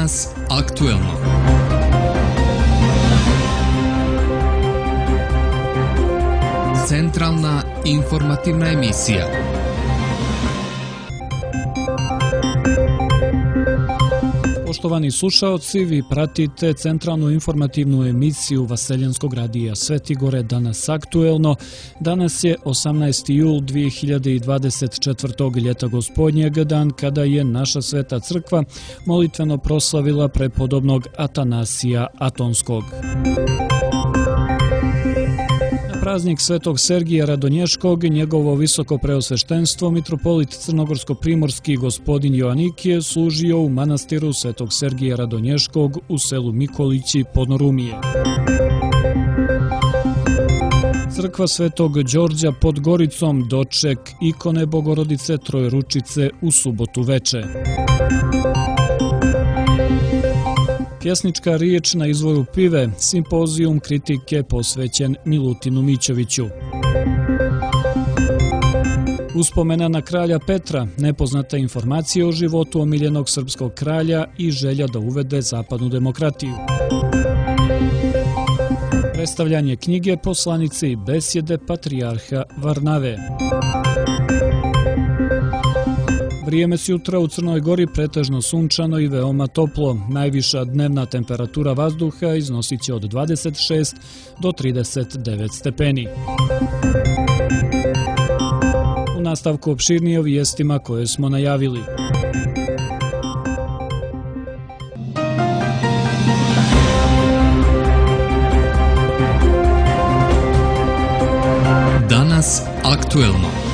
Danas aktuelno. Centralna informativna emisija. Poštovani slušaoci, vi pratite centralnu informativnu emisiju Vaseljenskog radija Svetigore Danas aktuelno. Danas je 18. jul 2024. ljeta gospodnjeg, dan kada je naša sveta crkva molitveno proslavila prepodobnog Atanasija Atonskog. Praznik Svetog Sergija Radonješkog, njegovo visoko preosveštenstvo, mitropolit crnogorsko-primorski gospodin Joanikije služio u manastiru Svetog Sergija Radonješkog u selu Mikolići Podnorumije. Crkva Svetog Đorđa pod Goricom, doček ikone Bogorodice Trojručice u subotu veče. Pjesnička riječ na izvoru pive, simpozijum kritike posvećen Milutinu Mićoviću. Uspomena na kralja Petra, nepoznata informacija o životu omiljenog srpskog kralja i želja da uvede zapadnu demokratiju. Predstavljanje knjige Poslanice i besjede patrijarha Varnave. Vrijeme sutra u Crnoj Gori pretežno sunčano i veoma toplo. Najviša dnevna temperatura vazduha iznosit će od 26 do 39 stepeni. U nastavku opširnije o vijestima koje smo najavili. Danas aktuelno.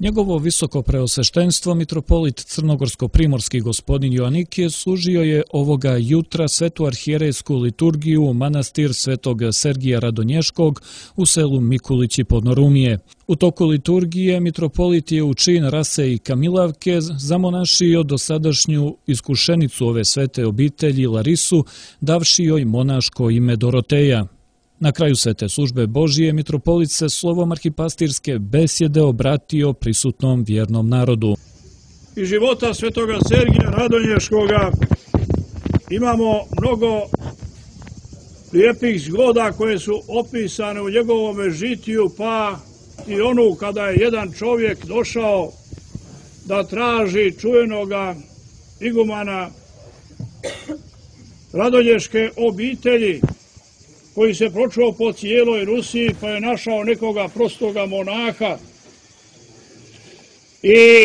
Njegovo visoko preosveštenstvo, mitropolit crnogorsko-primorski gospodin Joanikije, služio je ovoga jutra svetu arhijerejsku liturgiju u manastir Svetog Sergija Radonješkog u selu Mikulići Podnorumije. U toku liturgije mitropolit je u čin rase i kamilavke zamonašio dosadašnju iskušenicu ove svete obitelji Larisu, davši joj monaško ime Doroteja. Na kraju svete službe Božije mitropolit se slovom arhipastirske besjede obratio prisutnom vjernom narodu. Iz života svetoga Sergija Radonješkoga imamo mnogo lijepih zgoda koje su opisane u njegovome žitiju, pa i onu kada je jedan čovjek došao da traži čuvenoga igumana Radonješke obitelji, koji se pročuo po cijeloj Rusiji, pa je našao nekoga prostoga monaha i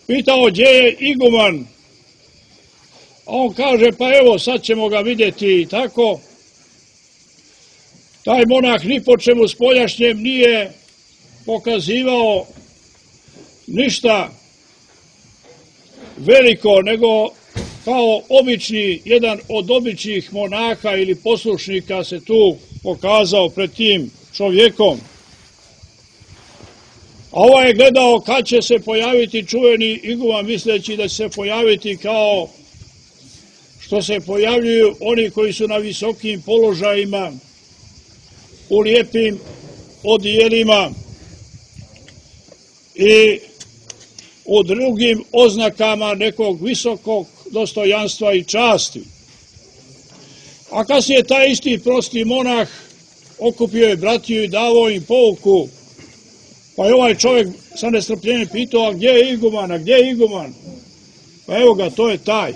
pitao gdje je iguman. A on kaže, pa evo sad ćemo ga vidjeti i tako. Taj monah ni po čemu spoljašnjem nije pokazivao ništa veliko, nego kao obični, jedan od običnih monaha ili poslušnika se tu pokazao pred tim čovjekom. A ovaj je gledao kad će se pojaviti čuveni iguman, misleći da će se pojaviti kao što se pojavljuju oni koji su na visokim položajima, u lijepim odijelima i u drugim oznakama nekog visokog dostojanstva i časti. A kasnije taj isti prosti monah okupio je bratiju i davao im pouku, pa je ovaj čovjek sa nestrpljenjem pitao, a gdje je iguman, a gdje je iguman? Pa evo ga, to je taj.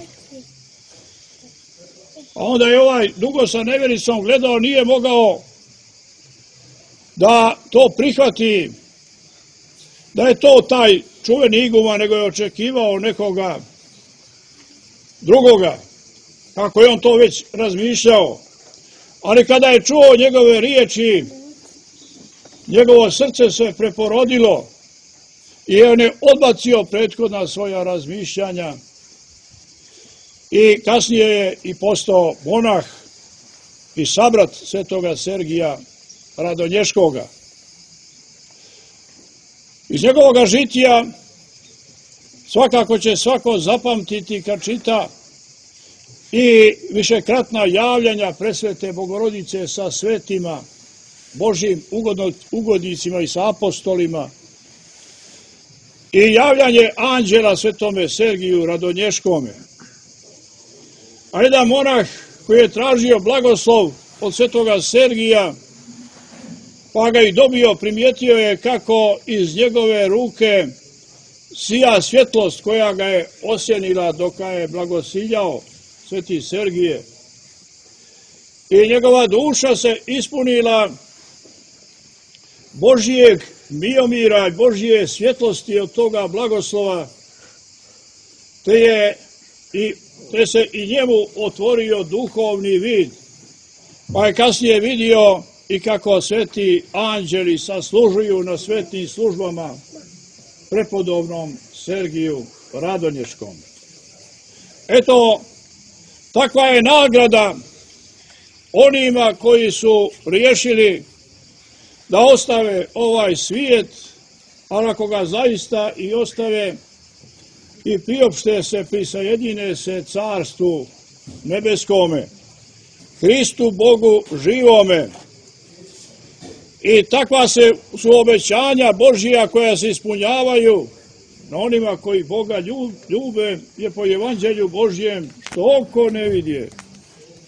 A onda je ovaj dugo sa nevjericom gledao, nije mogao da to prihvati, da je to taj čuveni iguman, nego je očekivao nekoga drugoga, kako je on to već razmišljao. Ali kada je čuo njegove riječi, njegovo srce se preporodilo i on je odbacio prethodna svoja razmišljanja i kasnije je i postao monah i sabrat svetoga Sergija Radonješkoga. Iz njegovog žitija svakako će svako zapamtiti kad čita i višekratna javljanja presvete Bogorodice sa svetima, Božjim ugodnicima i sa apostolima i javljanje anđela svetome Sergiju Radonješkome. A jedan monah koji je tražio blagoslov od svetoga Sergija, pa ga i dobio, primijetio je kako iz njegove ruke sija svjetlost koja ga je osjenila dok ga je blagosiljao sveti Sergije. I njegova duša se ispunila Božijeg miomira i Božije svjetlosti od toga blagoslova, te se i njemu otvorio duhovni vid, pa je kasnije vidio i kako sveti anđeli saslužuju na svetnim službama prepodobnom Sergiju Radonješkom. Eto, takva je nagrada onima koji su riješili da ostave ovaj svijet, ali ako ga zaista i ostave i priopšte se, prisajedine se carstvu nebeskome, Hristu Bogu živome. I takva su obećanja Božija koja se ispunjavaju na onima koji Boga ljube, je po evanđelju Božjem, što oko ne vidje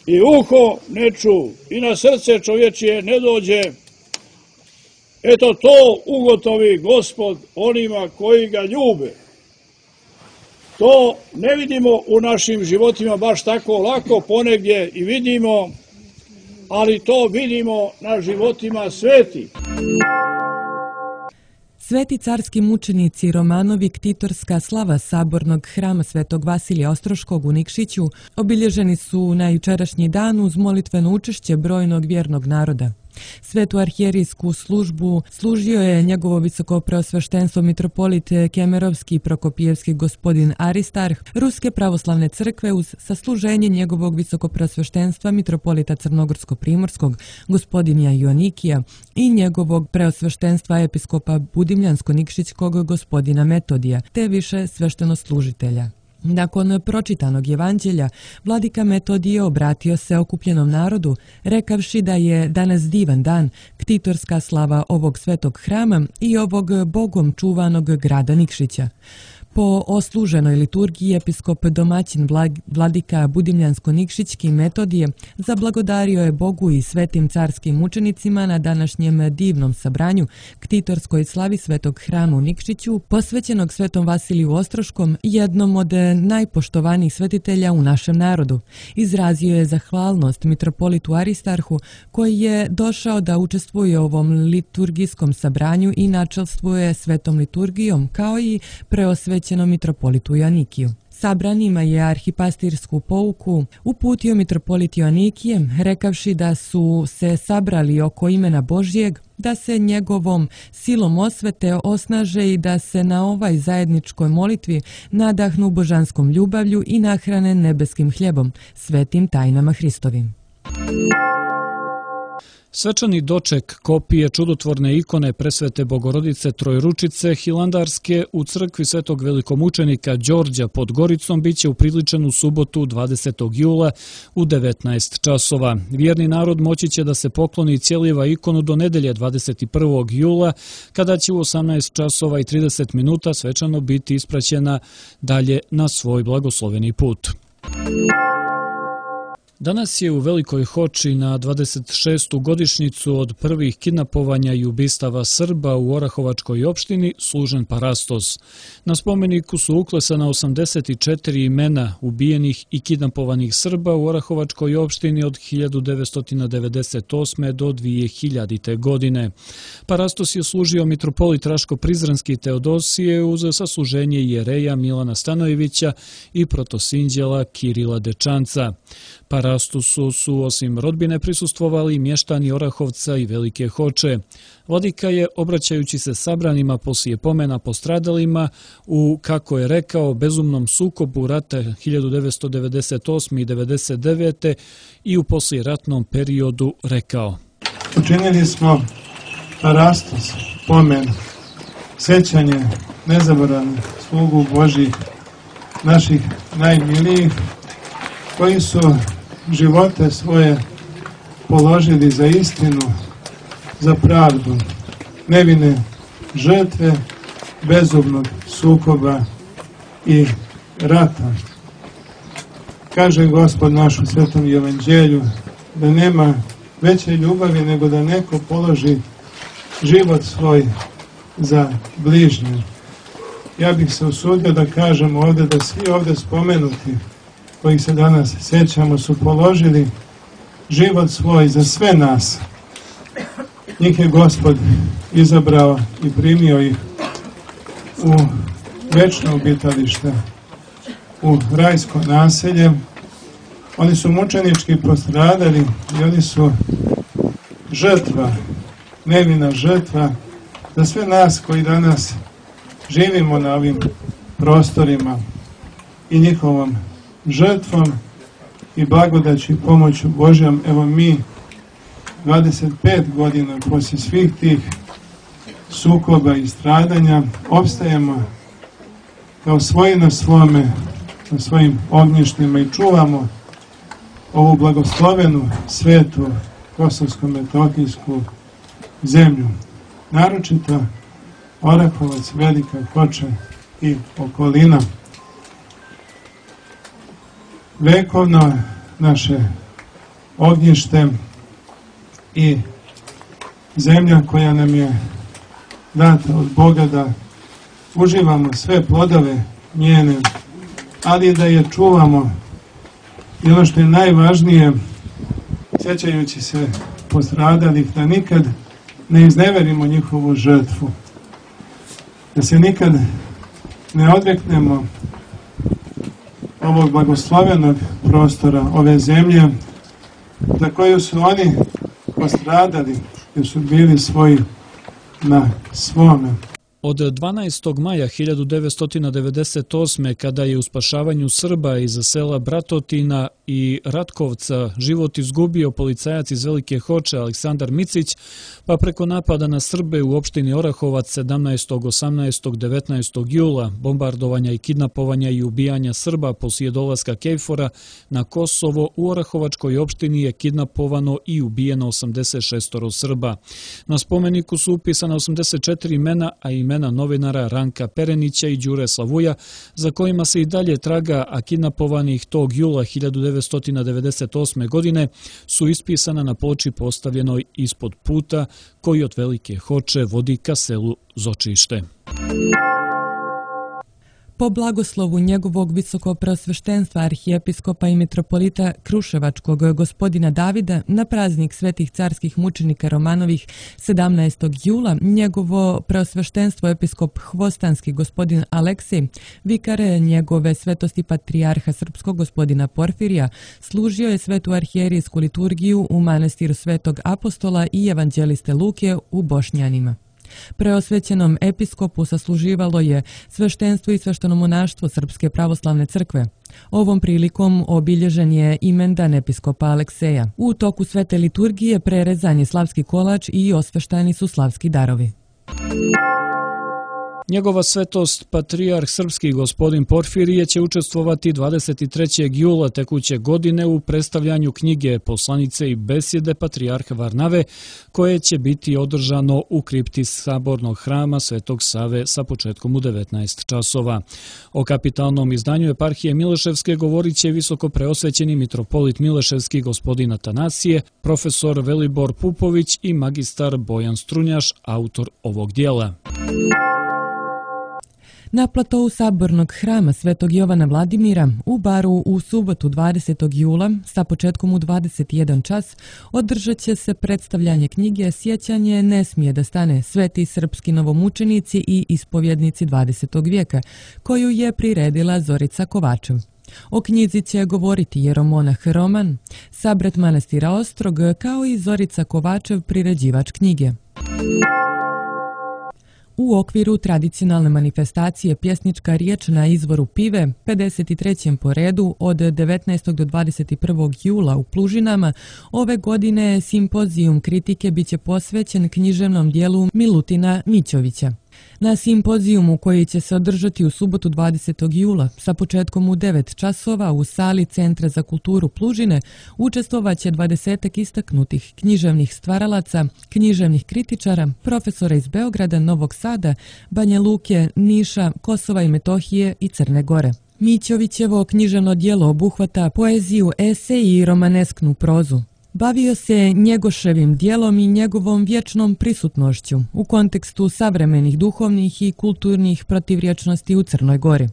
i uho ne ču i na srce čovječije ne dođe. Eto to ugotovi Gospod onima koji ga ljube. To ne vidimo u našim životima baš tako lako, ponegdje i vidimo, ali to vidimo na životima sveti. Sveti carski mučenici Romanovi ktitorska slava sabornog hrama Svetog Vasilija Ostroškog u Nikšiću obilježeni su na jučerašnji dan uz molitveno učešće brojnog vjernog naroda. Svetu arhijerijsku službu služio je njegovo visokopreosveštenstvo mitropolit Kemerovski i Prokopijevski gospodin Aristarh Ruske pravoslavne crkve uz sasluženje njegovog visokopreosveštenstva mitropolita Crnogorsko-primorskog gospodina Joanikija i njegovog preosveštenstva episkopa Budimljansko-Nikšićkog gospodina Metodija, te više sveštenoslužitelja. Nakon pročitanog evanđelja, vladika Metodije obratio se okupljenom narodu, rekavši da je danas divan dan, ktitorska slava ovog svetog hrama i ovog Bogom čuvanog grada Nikšića. Po osluženoj liturgiji episkop domaćin vladika Budimljansko-Nikšićki Metodije zablagodario je Bogu i svetim carskim mučenicima na današnjem divnom sabranju ktitorskoj slavi svetog hrama u Nikšiću, posvećenog svetom Vasiliju Ostroškom, jednom od najpoštovanijih svetitelja u našem narodu. Izrazio je zahvalnost mitropolitu Aristarhu koji je došao da učestvuje u ovom liturgijskom sabranju i načelstvuje svetom liturgijom, kao i preosvećenom mitropolitu Joanikiju. Sabranima je arhipastirsku pouku uputio mitropolit Joanikije, rekavši da su se sabrali oko imena Božjeg, da se njegovom silom osvete osnaže i da se na ovaj zajedničkoj molitvi nadahnu božanskom ljubavlju i nahrane nebeskim hljebom, svetim tajnama Hristovim. Svečani doček kopije čudotvorne ikone presvete Bogorodice Trojručice Hilandarske u crkvi svetog velikomučenika Đorđa pod Goricom biće upriličen u subotu 20. jula u 19 časova. Vjerni narod moći će da se pokloni cijeljeva ikonu do nedelje 21. jula, kada će u 18 časova i 30 minuta svečano biti ispraćena dalje na svoj blagosloveni put. Danas je u Velikoj Hoči na 26. godišnjicu od prvih kidnapovanja i ubistava Srba u Orahovačkoj opštini služen parastos. Na spomeniku su uklesana 84 imena ubijenih i kidnapovanih Srba u Orahovačkoj opštini od 1998. do 2000. godine. Parastos je služio mitropolit Raško-Prizrenski Teodosije uz sasluženje jereja Milana Stanojevića i protosinđela Kirila Dečanca. Parastosu su osim rodbine prisustvovali mještani Orahovca i Velike Hoče. Vladika je, obraćajući se sabranima poslije pomena postradalima u, kako je rekao, bezumnom sukobu rata 1998. i 1999. i u poslijeratnom periodu rekao: Učinili smo parastos, pomen, sećanje nezaboravnih slugu Božih, naših najmilijih, koji su živote svoje položili za istinu, za pravdu, nevine žrtve bezumnog sukoba i rata. Kaže Gospod naš u Svetom Evanđelju da nema veće ljubavi nego da neko položi život svoj za bližnje. Ja bih se usudio da kažem ovdje da svi ovdje spomenuti kojih se danas sjećamo su položili život svoj za sve nas. Njih je Gospod izabrao i primio ih u večno obitalište, u rajsko naselje. Oni su mučenički postradali i oni su žrtva, nevina žrtva za sve nas koji danas živimo na ovim prostorima i njihovom žrtvom i blagodaću i pomoću Božjom. Evo mi 25 godina poslije svih tih sukoba i stradanja opstajemo kao svoji na svome, na svojim ognjištima i čuvamo ovu blagoslovenu, svetu, kosovsko-metohijsku zemlju. Naročito Orahovac, Velika Hoča i okolina. Vekovno naše ognjište i zemlja koja nam je data od Boga da uživamo sve plodove njene, ali da je čuvamo i ono što je najvažnije, sjećajući se postradalih, da nikad ne izneverimo njihovu žrtvu, da se nikad ne odreknemo ovog blagoslovenog prostora, ove zemlje za koju su oni postradali, jer su bili svoji na svome. Od 12. maja 1998. kada je u spašavanju Srba iz sela Bratotina i Ratkovca život izgubio policajac iz Velike Hoče Aleksandar Micić, pa preko napada na Srbe u opštini Orahovac 17., 18., 19. jula, bombardovanja i kidnapovanja i ubijanja Srba poslije dolaska KFOR-a na Kosovo, u Orahovačkoj opštini je kidnapovano i ubijeno 86 Srba. Na spomeniku su upisana 84 imena, a imena novinara Ranka Perenića i Đure Slavuja, za kojima se i dalje traga, a kidnapovanih tog jula 1998. godine su ispisana na ploči postavljenoj ispod puta koji od Velike Hoče vodi ka selu Zočište. Po blagoslovu njegovog visokopreosveštenstva arhijepiskopa i mitropolita Kruševačkog gospodina Davida na praznik svetih carskih mučenika Romanovih 17. jula njegovo preosveštenstvo episkop Hvostanski gospodin Aleksij, vikare njegove svetosti patrijarha srpskog gospodina Porfirija, služio je svetu arhijerijsku liturgiju u manastiru Svetog Apostola i evanđeliste Luke u Bošnjanima. Preosvećenom episkopu sasluživalo je sveštenstvo i sveštenomonaštvo Srpske pravoslavne crkve. Ovom prilikom obilježen je imendan episkopa Alekseja. U toku svete liturgije prerezan je slavski kolač i osveštani su slavski darovi. Njegova svetost, patrijarh srpski gospodin Porfirije, će učestvovati 23. jula tekuće godine u predstavljanju knjige Poslanice i besjede patrijarha Varnave, koje će biti održano u kripti Sabornog hrama Svetog Save sa početkom u 19 časova. O kapitalnom izdanju eparhije Mileševske govorit će visoko preosvećeni mitropolit Mileševski gospodin Atanasije, profesor Velibor Pupović i magistar Bojan Strunjaš, autor ovog dijela. Na platovu Sabornog hrama Svetog Jovana Vladimira u Baru u subotu 20. jula sa početkom u 21 čas održat će se predstavljanje knjige Sjećanje ne smije da stane, sveti srpski novomučenici i ispovjednici 20. vijeka, koju je priredila Zorica Kovačev. O knjizi će govoriti jeromonah Roman, sabrat manastira Ostrog, kao i Zorica Kovačev, priređivač knjige. U okviru tradicionalne manifestacije Pjesnička riječ na izvoru Pive, 53. po redu od 19. do 21. jula u Plužinama, ove godine simpozijum kritike biće posvećen književnom dijelu Milutina Mićovića. Na simpozijumu koji će se održati u subotu 20. jula sa početkom u 9 časova u sali Centra za kulturu Plužine učestvovaće 20 istaknutih književnih stvaralaca, književnih kritičara, profesora iz Beograda, Novog Sada, Banja Luke, Niša, Kosova i Metohije i Crne Gore. Mićovićevo književno djelo obuhvata poeziju, esej i romanesknu prozu. Bavio se Njegoševim djelom i njegovom vječnom prisutnošću u kontekstu savremenih duhovnih i kulturnih protivrječnosti u Crnoj Gori.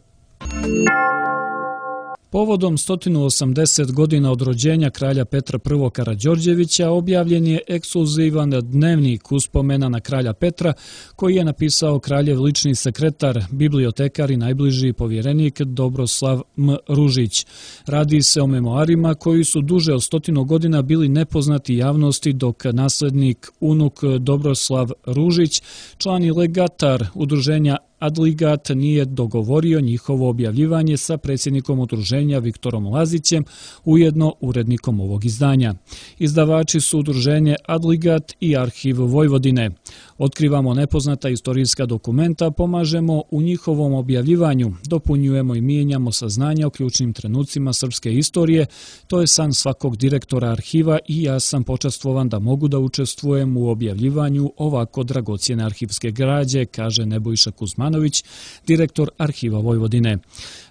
Povodom 180 godina od rođenja kralja Petra I. Karađorđevića objavljen je ekskluzivan dnevnik uspomena na kralja Petra koji je napisao kraljev lični sekretar, bibliotekar i najbliži povjerenik Dobroslav M. Ružić. Radi se o memoarima koji su duže od 100 godina bili nepoznati javnosti, dok naslednik unuk Dobroslav Ružić, član i legatar udruženja Adligat, nije dogovorio njihovo objavljivanje sa predsjednikom udruženja Viktorom Lazićem, ujedno urednikom ovog izdanja. Izdavači su udruženje Adligat i Arhiv Vojvodine. Otkrivamo nepoznata istorijska dokumenta, pomažemo u njihovom objavljivanju, dopunjujemo i mijenjamo saznanja o ključnim trenucima srpske istorije. To je san svakog direktora arhiva i ja sam počastvovan da mogu da učestvujem u objavljivanju ovako dragocjene arhivske građe, kaže Nebojša Kuzmanović, direktor Arhiva Vojvodine.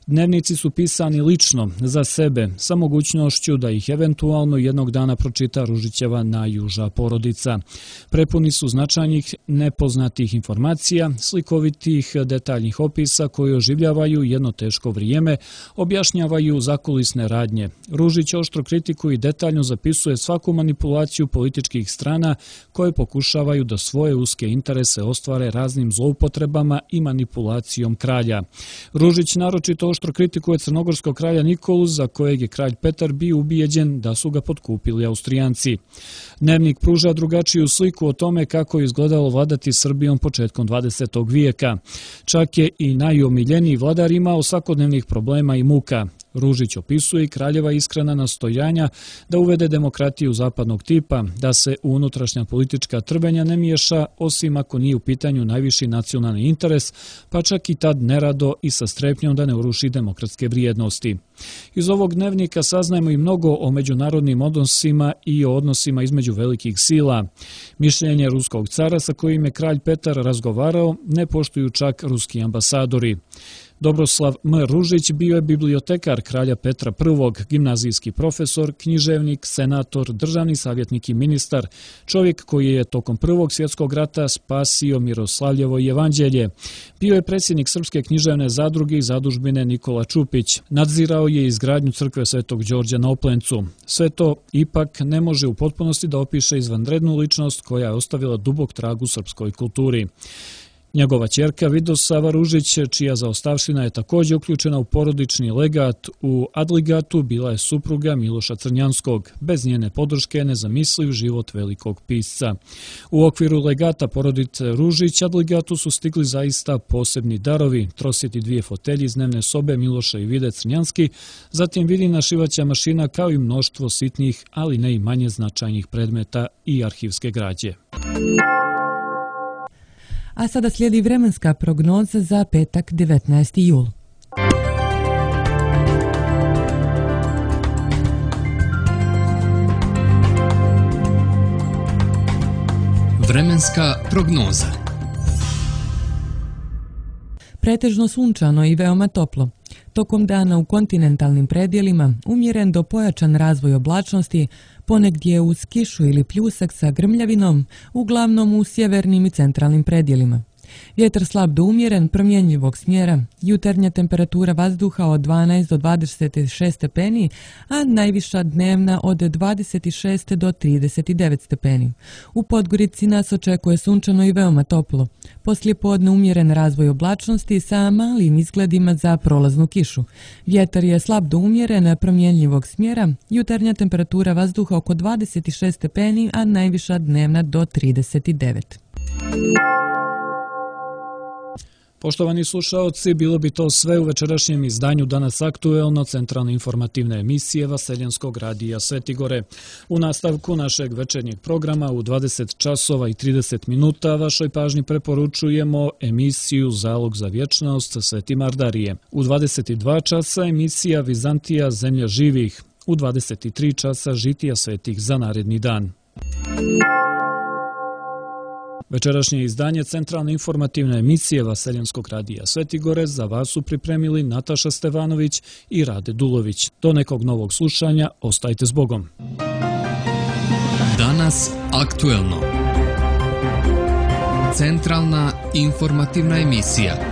Dnevnici su pisani lično, za sebe, sa mogućnošću da ih eventualno jednog dana pročita Ružićeva najuža porodica. Prepuni su značajnih nepoznatih informacija, slikovitih detaljnih opisa koji oživljavaju jedno teško vrijeme, objašnjavaju zakulisne radnje. Ružić oštro kritikuje i detaljno zapisuje svaku manipulaciju političkih strana koje pokušavaju da svoje uske interese ostvare raznim zloupotrebama i manipulacijom kralja. Ružić naročito oštro kritikuje crnogorskog kralja Nikolu, za kojeg je kralj Petar bio ubijeđen da su ga potkupili Austrijanci. Dnevnik pruža drugačiju sliku o tome kako je izgledalo vladati Srbijom početkom 20. vijeka. Čak je i najomiljeniji vladar imao svakodnevnih problema i muka. Ružić opisuje i kraljeva iskrena nastojanja da uvede demokratiju zapadnog tipa, da se u unutrašnja politička trbenja ne miješa, osim ako nije u pitanju najviši nacionalni interes, pa čak i tad nerado i sa strepnjom da ne uruši demokratske vrijednosti. Iz ovog dnevnika saznajemo i mnogo o međunarodnim odnosima i o odnosima između velikih sila. Mišljenje ruskog cara sa kojim je kralj Petar razgovarao ne poštuju čak ruski ambasadori. Dobroslav M. Ružić bio je bibliotekar kralja Petra I, gimnazijski profesor, književnik, senator, državni savjetnik i ministar, čovjek koji je tokom Prvog svjetskog rata spasio Miroslavljevo evanđelje. Bio je predsjednik Srpske književne zadruge i zadužbine Nikola Čupić. Nadzirao je izgradnju crkve Svetog Đorđa na Oplencu. Sve to ipak ne može u potpunosti da opiše izvanrednu ličnost koja je ostavila dubok trag u srpskoj kulturi. Njegova ćerka Vidosava Ružić, čija zaostavština je također uključena u porodični legat u Adligatu, bila je supruga Miloša Crnjanskog. Bez njene podrške nezamisliv život velikog pisca. U okviru legata porodice Ružić Adligatu su stigli zaista posebni darovi, trosjeti 2 fotelji iz dnevne sobe Miloša i Vide Crnjanski, zatim vidina šivaća mašina kao i mnoštvo sitnih, ali ne i manje značajnih predmeta i arhivske građe. A sada slijedi vremenska prognoza za petak 19. jul. Vremenska prognoza. Pretežno sunčano i veoma toplo. Tokom dana u kontinentalnim predjelima umjeren do pojačan razvoj oblačnosti, ponegdje uz kišu ili pljusak sa grmljavinom, uglavnom u sjevernim i centralnim predjelima. Vjetar slab do umjeren, promjenjivog smjera, jutarnja temperatura vazduha od 12 do 26 stepeni, a najviša dnevna od 26 do 39 stepeni. U Podgorici nas očekuje sunčano i veoma toplo. Poslijepodne umjeren razvoj oblačnosti sa malim izgledima za prolaznu kišu. Vjetar je slab do umjeren, promjenjivog smjera, jutarnja temperatura vazduha oko 26 stepeni, a najviša dnevna do 39. Poštovani slušaoci, bilo bi to sve u večerašnjem izdanju Danas aktuelno centralne informativne emisije Vaseljenskog radija Svetigore. U nastavku našeg večernjeg programa u 20 časova i 30 minuta vašoj pažnji preporučujemo emisiju Zalog za vječnost Sveti Mardarije. U 22 časa emisija Vizantija zemlja živih. U 23 časa žitija svetih za naredni dan. Večerašnje izdanje centralne informativne emisije Vaseljenskog radija Svetigorec za vas su pripremili Nataša Stevanović i Rade Dulović. Do nekog novog slušanja, ostajte s Bogom. Danas aktuelno. Centralna informativna emisija.